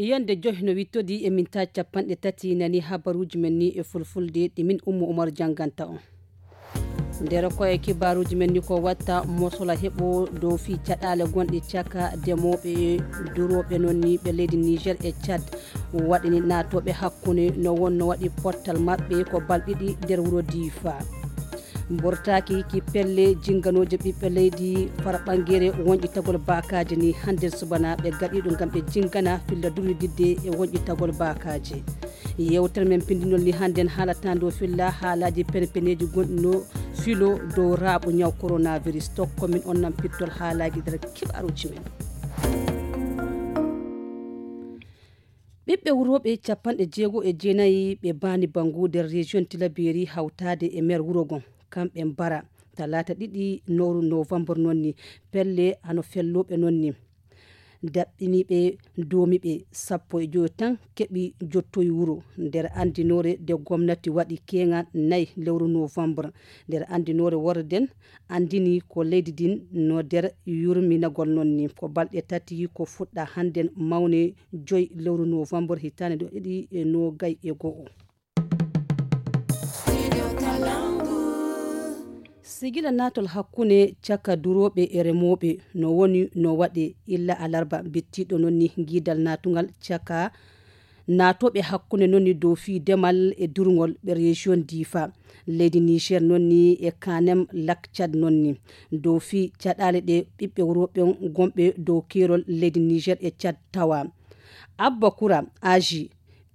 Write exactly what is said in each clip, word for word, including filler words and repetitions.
Yande joy no wittodi e mintaji capanɗe tati nani habaruji men ni e fulfulde ɗi min Ummu Umar janganta on. Nder koye kibaruji men ni ko watta mosola heɓo dow fi caɗale gonɗe caka demoɓe e duroɓe non ni ɓe leydi Niger e Tchad. Waɗini natoɓe hakkunde no wonno waɗi pottal maɓɓe ko balɗiɗi nder wuro Difa. Mbortaaki ki pelle jinganooje ɓiɓɓe leydi fara ɓangere wonƴitagol baakaaji ni hannde subana ɓe gaɗiiɗo ngam ɓe jingana filla durwididde e wonƴitagol baakaaji. Yewtere men pindinol ni hannden haalata ndo filla haalaaji penepeneeji gonɗi no filo dow raaɓo ñaw coronavirus tokko min on nan pittol haalaaji nder kibaaruuji men. Ɓiɓɓe wurooɓe capanɗe jeego e jeenayi ɓe baani bangu nder région Tilaberi hawtaade e maire wuro gon kamɓe mbara talaata ɗiɗi nowru novembre nonni pelle hano fellooɓe nonni daɓɓiniiɓe doomiiɓe sappo e joyo tan keɓi jottoyi wuro nder anndinoore nde gomnati waɗi keeŋa nayi lewru novembre nder anndinoore worre nden anndini ko leydi ndin no nder yurminagol nonni ko balɗe tati ko fuɗɗa hannden mawne joyi lewru novembre hitaande ɗo ɗiɗi e nogay e go'o. Sigila naatol hakkunde caka durooɓe e remooɓe no woni no waɗe illa alarba bittiɗo nonni giidal naatungal caka naatooɓe hakkunde nonni dow fii demal e durngol ɓe région Difa leydi Niger nonni e kanem lak Tchad nonni dow fii caɗaale ɗe ɓiɓɓe worɓe gonɓe dow keerol leydi Niger e Tchad tawa. Abba Kura Aji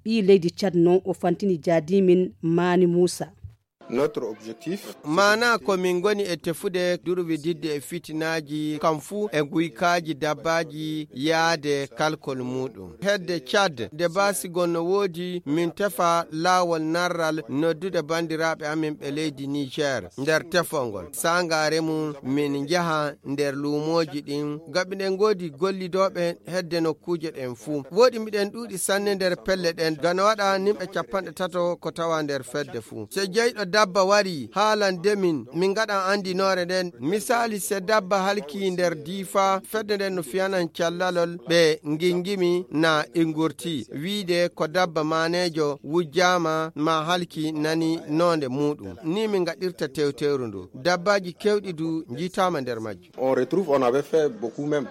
ɓii leydi Tchad non o fantini jaadimin Mani Musa. Notre objectif maana ko min ngoni e tefude durwididde e fitinaaji kam fuu e guykaaji dabbaaji yaade kalkol muuɗum hedde Tchad nde baasi gon no woodi min tefa laawol narral noddude banndiraaɓe amin ɓe leydi Niger nder tefol ngol saangaare mum min njaha nder luumooji ɗin gaɓi ɗen ngoodi gollidooɓe hedde nokkuuje ɗen fuu woɗi miɗen ɗuuɗi sanne nder pelle ɗen gana waɗa nimɓe capanɗe tato ko tawa nder fedde fuu so jeyɗo dabba wari haalan demin min ngaɗan andinoore nden misaali se dabba halki nder diifa fedde nden no fiyanan callalol ɓe ngingimi na ingurti wiide ko dabba maaneejo wujjaama ma halki nani noonde muuɗum ni min ngaɗirta tewtewru ndu dabbaaji kewɗi du njiitaama nder majji on retrouve on avait fait beaucoup même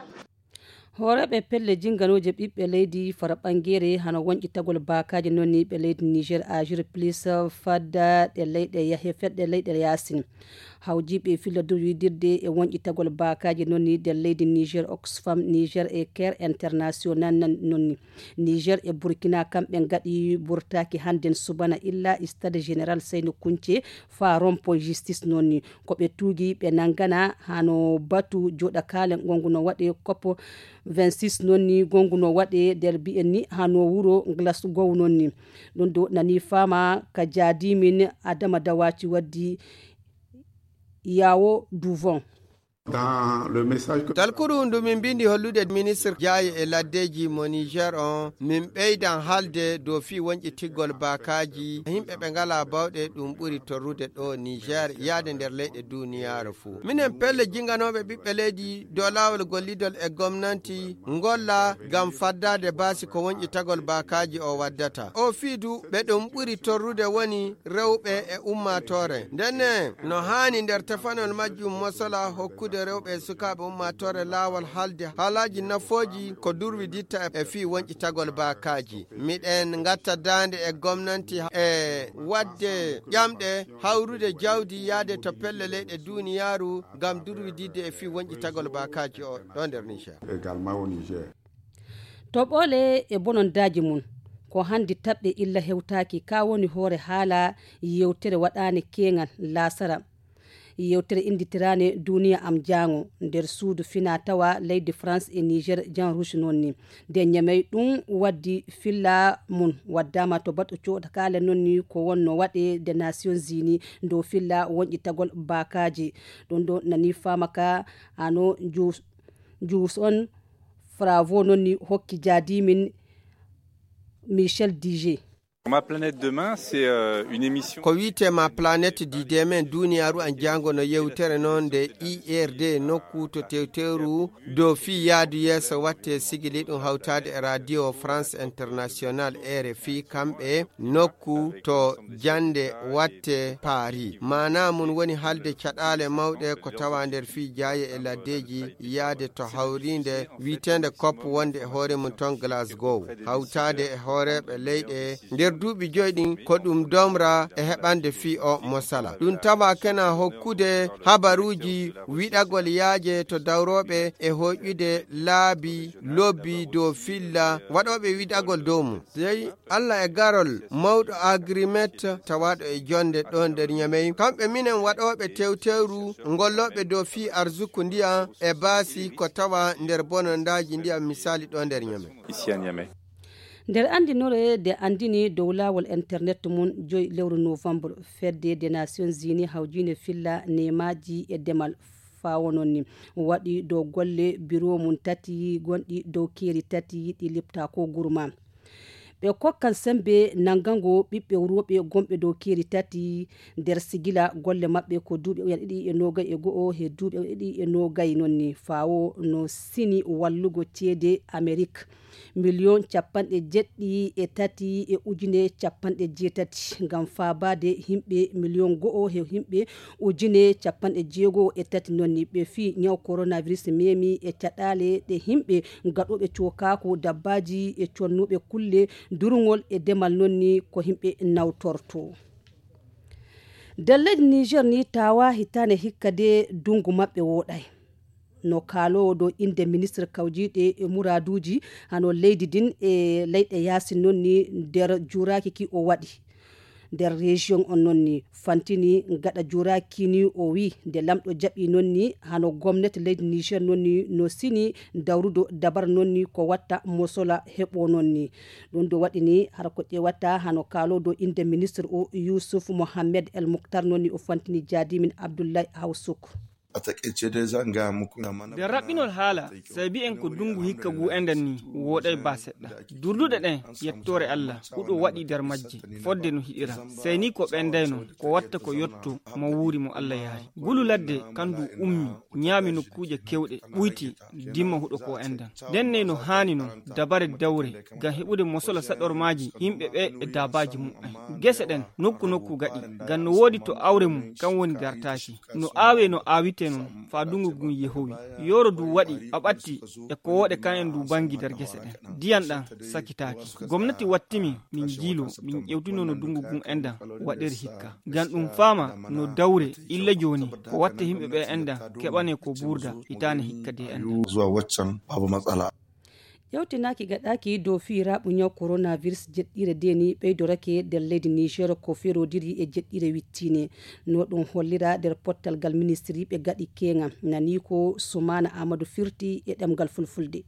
hooreeɓe pelle jinganooje ɓiɓɓe leydi fara ɓangeere hano wonƴitagol baakaaji nonniiɓe leydi niger agir plus fadda ɗe leyɗe yahe fedde leyɗe yaasin hawjiiɓe filla dow yidirde e wonƴitagol baakaaji nonni nder leydi niger oxfam niger e care international nonni niger e burkina kamɓe ngaɗi burtaaki hannden subana illa stade général seyno kunce faa rompoy justice nonni ko ɓe tuugi ɓe nanngana hano batu joɗakaale ngongu no waɗe cop vingt-six nonni ngongu no waɗe nder mbiyen ni hano wuro glasgow nonni ɗum ɗo nani fama ka jaadimin adama dawaci waddi yawo duvon talkuru ndu min mbindi hollude ministre jaaye e laddeji mo niger on min ɓeydan haalde dow fii wonƴitigol baakaaji yimɓe ɓe ngala bawɗe ɗum ɓuri torrude ɗo niger yaade nder leyɗe duniyaaru fuu minen pelle jinganooɓe ɓiɓɓe leydi dow laawol gollidol e gomnanti ngolla ngam faddaade baasi ko wonƴitagol baakaaji o waddata o fii du ɓe ɗum ɓuri torrude woni rewɓe e ummaatoore ndenne no haani nder tefanol majjum mosola hokkude rewɓe e sukaaɓe ummaatoore laawol haalde haalaaji nafooji ko durwiditta e fii wonƴitagol baakaaji miɗen ngatta daande e gomnanti e waɗde ƴamɗe hawrude jawdi yaade to pelle leyɗe duniyaaru ngam durwididde e fii wonƴitagol baakaaji o ɗo nder niger également au niger to ɓoole e bonondaaji mum ko hanndi taɓɓe illa hewtaaki ka woni hoore haala yewtere waɗaane keeŋal laasara yewtere innditiraane duniya am jaango nder suudu fina tawa leydi france e niger jan rouge noon ni nde ñamey ɗum waddi filla mum waddama to baɗɗo coɗakaale noon ni ko wonno waɗe nde nations unis dow filla wonƴitagol baakaaji ɗum ɗo nani faama ka ano juus on fravo noon ni hokki jaadimin michel dije Ma planète demain, c'est euh, une émission. Ko wiyetee ma planète du demain, duniyaaru an jaango no yewtere noon nde I R D nokku to tewteeru dow fii yaadu yeeso watte sigili ɗum hawtaade e Radio France International, R F I, kamɓe nokku to jannde watte Paris. Maanaa mum woni haalde caɗaale mawɗe ko tawa nder fii jaaye e laddeeji yaade to hawriinde wiyeteende cop wonde e hoore mum toon Glasgow. Hawtaade e hooreeɓe leyɗe nder duuɓi joyi ɗin ko ɗum domra e heɓande fii o mosala. Ɗum tawa kena hokkude habaruuji wiɗagol yaaje to dawrooɓe e hoƴƴude laabi lobbi dow filla waɗooɓe wiɗagol dow mum. Dey Allah e garol mawɗo Agrimet tawaaɗo e jonde ɗo nder Ñamey. Kamɓe minen waɗooɓe tewtewru ngollooɓe dow fii arsuku ndiyam e baasi ko tawa nder bonondaaji ndiyam misali ɗo nder Ñamey. Ici à Niamey. Nder anndinore nde anndini dow laawol internet mum joyi lewru novembre, fedde des Nations Unies hawjiinde filla nemaaji e demal faawo noon ni waɗi dow golle biro mum tati gonɗi dow keeri tati ɗi lepta ko gurma. Ɓe kokkan sembe nanngango ɓiɓɓe worɓe gonɓe dow keeri tati nder sigila golle maɓɓe ko duuɓi ujine ɗiɗi e noogay e go'o he duuɓi ujine ɗiɗi e noogay noon ni faawo no sini wallugo ceede Amerik miliyon capanɗe jeɗɗi e tati e ujine capanɗe jeetati ngam faabaade yimɓe miliyon go'o he yimɓe ujine capanɗe jeego e tati noon ni ɓe fii ñaw coronavirus memi e caɗaale ɗe yimɓe gaɗooɓe cookaaku dabbaaji e connuɓe kulle durngol e demal noon ni ko yimɓe nawtorto. Nder leydi Niger ni tawa hitaande hikka de dungu maɓɓe woɗay. No kaaloowo dow innde ministre kawjiiɗe e muraaduuji hano leydi ndin e leyɗe yaasin noon ni nder juuraaki ki o waɗi. Nder région on noon ni fantini gaɗa juuraaki ni o wi nde lamɗo jaɓi noon ni hano gomnati leydi Niger noon ni no sini dawrudo dabar noon ni ko watta mosola heɓo noon ni. Ɗum ɗo waɗi ni hara ko ƴeewata hano kaaloowo dow innde ministre o Youssouf Mohamed El Mouktar noon ni o fantini jaadimin Abdoulaye Hawsouk. A taƙaice dai zan gaya muku na mana. Nder raɓɓinol haala, sabi en ko dungu hikka ngu enden ni wooɗay ba seɗɗa. Durduɗe ɗen, yettoore Allah, huɗo waɗi nder majje, fodde no hiɗira. Sey ni ko ɓendayno, ko watta ko yotto mo wuuri mo Allah yaari. Ngulu ladde kan du ummi, ñaami nokkuuje kewɗe, ɓuyti, dimma huɗo ko endan. Nden ney no haani non, dabare dawre, ngam heɓude mosola saɗormaaji yimɓe ɓe e daabaaji muɓɓen. Gese ɗen, nokku nokku gaɗi, ngam no woodi to awre mum, kan woni gartaaki. No aawe no aawite non, faa dungu ngun yehowi. Yooro du waɗi, a ɓatti, e ko wooɗe kan en du bangi nder gese ɗen. Diyan ɗan sakitaaki. Gomnati wattimi, min jiilo, min ƴewtino no dungu ngun endan waɗiri hikka. Ngam ɗum faama no dawre illa jooni, ko watta yimɓe ɓe endan keɓane ko buurda hitaane hikka de endan. Zuwa waccan babu matsala. Ƴewtinaaki gaɗaaki dow fiiraaɓu ñaw coronavirus jeɗɗiire de ni ɓeydorake nder leydi Niger ko feroodiri e jeɗɗiire wittiine. No ɗum hollira nder pottal ngal ministiriiɓe gaɗi keeŋa. Nani ko Sumaana Aamadu firti e ɗemngal fulfulde.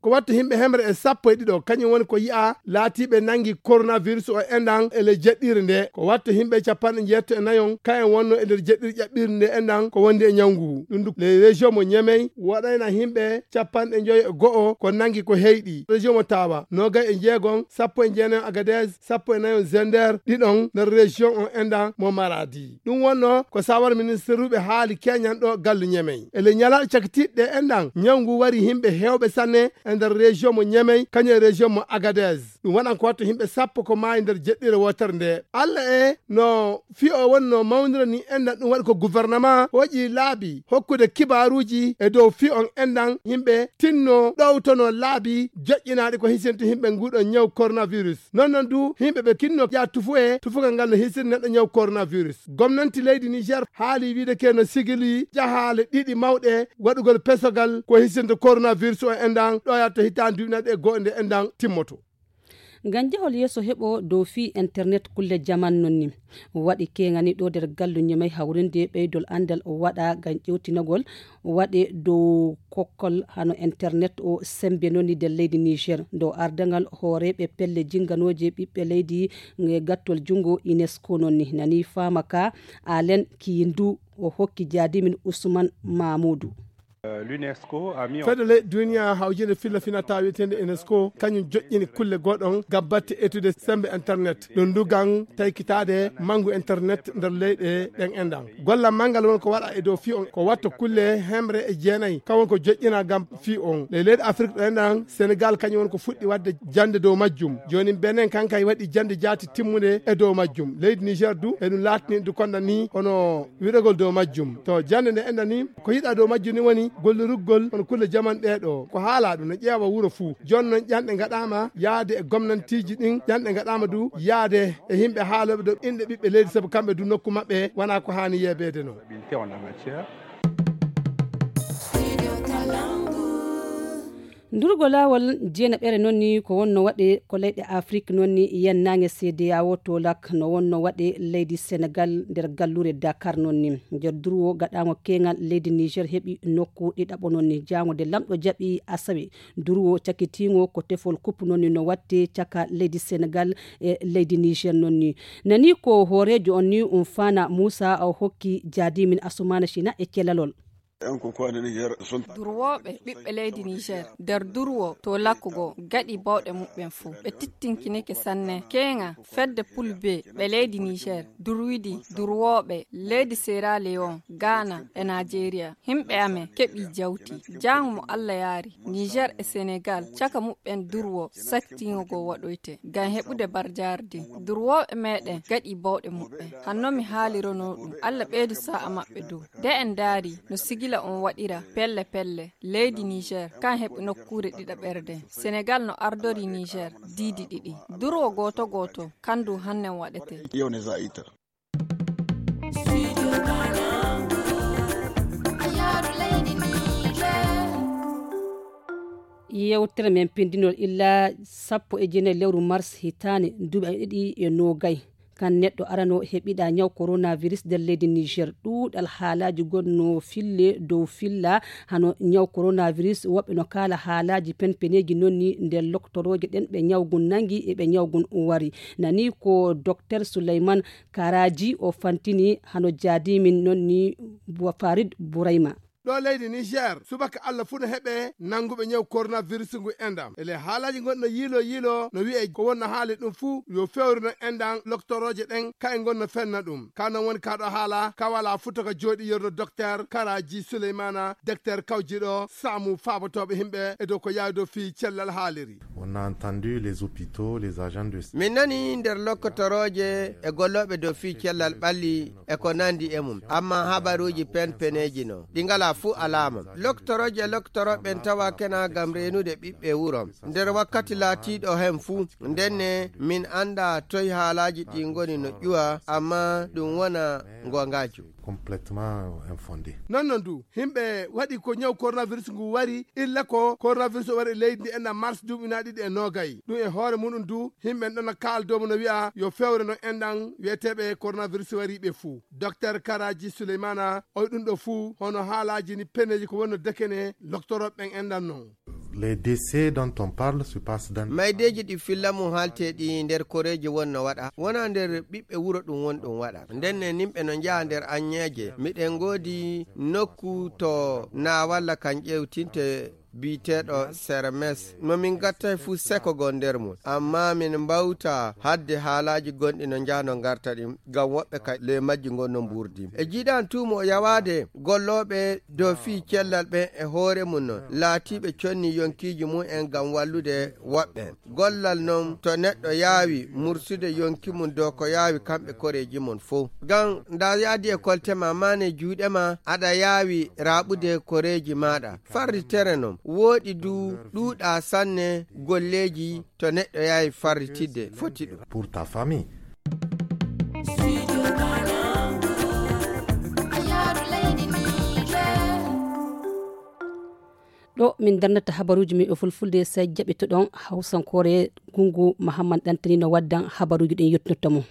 Ko watta yimɓe hemre e sappo e ɗiɗo, kañum woni ko yi'a laatiiɓe nanngi coronavirus o enɗan e ley jeɗɗiire nde. Ko watta yimɓe capanɗe njeetto e nayon, kayen wonno e nder jeɗɗiire ƴaɓɓiire nde enɗan ko wondi e ñawngu ngu. Ɗum du, ley région mo Ñemey waɗayna yimɓe capanɗe njoyo e go'o ko nanngi ko heyɗi. Région mo Tawa, noogay e njeegon, sappo e jeenayon Agadez, sappo e nayon Zender, ɗiɗon nder région on enɗan mo Maradi. Ɗum wonno ko sawar ministeruɓe haali keñan ɗo gallu Ñemey. E ley ñalaaɗe cakitiiɗe ɗe enɗan, ñaw ngu wari yimɓe heewɓe sanne e nder région mo Ñemey, kañum e région mo Agadez. Ɗum waɗan ko watta yimɓe sappo ko maayi nder jeɗɗiire wootere nde. Allah e no fii o wonno mawnira ni enɗan, ɗum waɗi ko gouvernement waɗi laabi hokkude kibaaruuji e dow fii on enɗan yimɓe tinno ɗowtono laabi joƴƴinaaɗi ko hisinta yimɓe nguɗo ñaw coronavirus. Non non du, yimɓe ɓe kinno yaa tufu e tufugal ngal no hisini neɗɗo ñaw coronavirus. Gomnanti leydi Niger haali wiide ke no sigili jahaale ɗiɗi mawɗe waɗugol pesogal ko hisinta coronavirus o enɗan ɗo yatta hitaande duuɓi nayi e go'o nde enɗan timmoto. Ngam jahol yeeso heɓo dow fii internet kulle jaman non ni. Waɗi keŋani ɗo nder gallu Ñemey hawrinde ɓeydol anndal o waɗa ngam ƴewtinagol waɗe dow kokkol hano internet o sembe non ni nder leydi Niger. Dow ardangal hooreeɓe pelle jinganooje ɓiɓɓe leydi e gattol junngo UNESCO non ni. Nani faama ka Alen Kiyindu o hokki jaadimin Usman Mamudu. Fedde leyɗe duniya hawjinde filla finata wiyeteende UNESCO kañum joƴƴini kulle goɗon gabbatti etude sembe internet ɗum ndugan taykitaade mangu internet nder leyɗe ɗen enɗan. Gollal manngal won ko waɗa e dow fii on ko watto kulle hemre e jeenayi kawon ko joƴƴina ngam fii on. Ley leyɗe Afrik ɗo enɗan Senegal kañum won ko fuɗɗi waɗde jannde dow majjum. Jooni Benin kankay waɗi jannde jaati timmunde e dow majjum. Leydi Niger du eɗum laatini du konda ni hono wiɗogol dow majjum. To jannde nde enɗan ni ko yiɗa dow majjum ni woni gollirugol on kulle jaman ɗee ɗo ko haalaa ɗum no ƴeewa wuro fuu. Jooni noon ƴanɗe ngaɗaama yaade e gomnantiiji ɗin ƴanɗe ngaɗaama du yaade e yimɓe haalooɓe dow inɗe ɓiɓɓe leydi sabu kamɓe du nokku maɓɓe wonaa ko haani yeebeede noon. Ndurgo laawol jeenaɓere noon ni ko wonno waɗe ko leyɗe Afrik noon ni yennaange C D A O to lak no wonno waɗe leydi Senegal nder gallure Dakar noon ni. Nder durwo gaɗaango keeŋal leydi Niger heɓi nokku ɗiɗaɓo noon ni jaango nde lamɗo jaɓi asawe. Durwo cakitiingo ko tefol kup noon ni no watte caka leydi Senegal e leydi Niger noon ni. Nani ko hooreejo on ni Umfana Musa o hokki jaadimin Asumana Shina e celalol. Durwooɓe ɓiɓɓe leydi Niger nder durwo to lakkugo gaɗi bawɗe muɓɓen fuu. Ɓe tittinkinike sanne keeŋa fedde pulbe ɓe leydi Niger durwidi durwooɓe leydi Sierra Leone, Ghana e Nigeria. Himɓe amen keɓi jawti. Jaango mo Allah yaari, Niger e Senegal caka muɓɓen durwo sattiŋo go waɗoyte ngam heɓude barjaardi. Durwooɓe meɗen gaɗi bawɗe muɓɓen. Hanno mi haalirono ɗum. Allah ɓeydu sa'a maɓɓe dow. Nde en ndaari no sigila on waɗira pelle pelle, leydi Niger kan heɓi nokkuure ɗiɗaɓerde. Senegal no ardori Niger diidi ɗiɗi. Durwo gooto gooto kandu hannen waɗete. Yewtere men pindinol illa sappo e jeenayi lewru mars hitaande duuɓi ɗiɗi e noogay. Kan neɗɗo arano heɓiɗa ñaw coronavirus nder leydi Niger. Ɗuuɗal haalaaji gonno fille dow filla hano ñaw coronavirus. Woɓɓe no kaala haalaaji penpeneeji noon ni nder loktorooje ɗen ɓe ñawgun nangi e ɓe ñawgun wari. Nani ko Docteur Souleymane Karaji o fantini hano jaadimin noon ni Farid Bourayma. Ɗo leydi Niger subaka Allah fuu no heɓe nannguɓe ñaw coronavirus ngu endam. E ley haalaaji gonɗi no yiilo yiilo no wi'e ko wonno haali ɗum fuu yo fewrino endam loktorooje ɗen ka'e ngon no fenna ɗum. Ka non woni ka ɗo haala ka wala futa ka jooɗi yerno Docteur Karaji Souleymana, Docteur kawjiɗo saamu faabotooɓe himɓe e dow ko yaawi dow fii cellal haaliri. On a entendu les hôpitaux, les agents de. Min nani nder lokkotorooje e gollooɓe dow fii cellal ɓalli e ko nandi e mum, amma habaruuji penpeneeji no ɗi ngala fuu alaama. Loktorooje e loktorooɓe ɓen tawa kena ngam reenude ɓiɓɓe wuro nder wakkati laatiiɗo hen fuu. Ndenne min annda toy haalaaji ɗi ngoni no ƴuwa, amma ɗum wona ngongaajo. Complètement infondé. Non non du himɓe waɗi ko ñaw coronavirus ngu wari illa ko coronavirus o wari e leydi ndi enna mars duuɓi na ɗiɗi e noogay. Ɗum e hoore muɗum du himɓe en ɗon no kaaldomo no wi'a yo fewre no enɗan wi'eteeɓe coronavirus wariɓe fuu. Docteur Karaji Souleymana oy ɗum ɗo fuu hono haalaaji ni peneeji ko wonno dekene loktorooɓe ɓen enɗan non. Les décès dont on parle se passe dans. Maydeeji ɗi filla mum haalte ɗi nder koreeji won no waɗa wona nder ɓiɓɓe wuro ɗum won ɗum waɗa. Ndenne nimɓe no njaha nder anñeeje miɗen ngoodi nokku to na walla kan ƴeewtinte biyeteeɗo sermes mo min gattay fuu sekogol nder mum, amma min mbawta hadde haalaaji gonɗi no njahno ngarta ɗin ngam woɓɓe ka ley majji ngon no mbuurdi. E jiiɗan tuumo yawaade gollooɓe dow fii cellal ɓen e hoore mum non laatiiɓe conni yonkiiji mum en ngam wallude woɓɓe. Gollal non to neɗɗo yaawi mursude yonki mum dow ko yaawi kamɓe koreeji mum fow. Ngam nda yaadi e kolte ma maane juuɗe ma aɗa yaawi raaɓude koreeji maaɗa. Farritere non wooɗi du ɗuuɗa sanne golleeji to neɗɗo yaawi farritidde foti ɗum. Pour ta famille. Ɗo min darnata habaruuji men e fulfulde, so jaɓitoɗon hawsankoore. Gungu Mahamman Ɗantani no waddan habaruuji ɗin yottinirta mum.